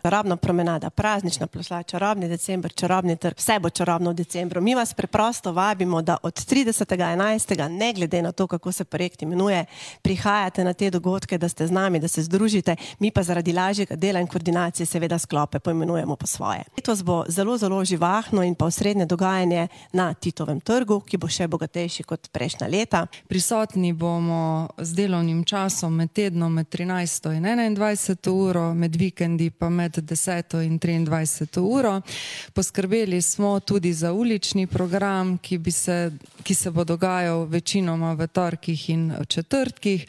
Čarobna promenada, praznična ploščad, čarobni december, čarobni trg, vse bo čarobno v decembru. Mi vas preprosto vabimo, da od 30.11., ne glede na to, kako se projekt imenuje, prihajate na te dogodke, da ste z nami, da se združite, mi pa zaradi lažjega dela in koordinacije seveda sklope poimenujemo po svoje. Letos bo zelo, zelo živahno in pa osrednje dogajanje na Titovem trgu, ki bo še bogatejši kot prejšnja leta. Prisotni bomo z delovnim časom med tednom med 13. in 21. uro, med vikendi pa med 10. in 23. uro. Poskrbeli smo tudi za ulični program, ki se bo dogajal večinoma v torkih in četrtkih